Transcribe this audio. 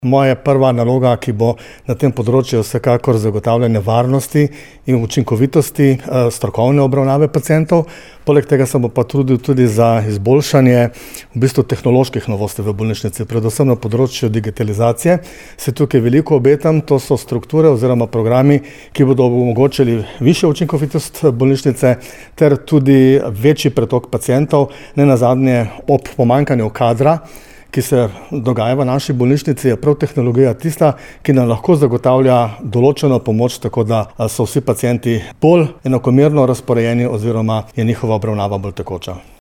Moja prva naloga, ki bo na tem področju, je vsekakor zagotavljanje varnosti in učinkovitosti strokovne obravnave pacientov. Poleg tega se bo pa trudil tudi za izboljšanje tehnoloških novosti v bolnišnici, predvsem na področju digitalizacije. Se tukaj veliko obetam, to so strukture oziroma programi, ki bodo omogočili višjo učinkovitost bolnišnice ter tudi večji pretok pacientov, nenazadnje ob pomanjkanju kadra, ki se dogaja v naši bolnišnici, je prav tehnologija tista, ki nam lahko zagotavlja določeno pomoč, tako da so vsi pacienti bolj enakomerno razporejeni oziroma je njihova obravnava bolj tekoča.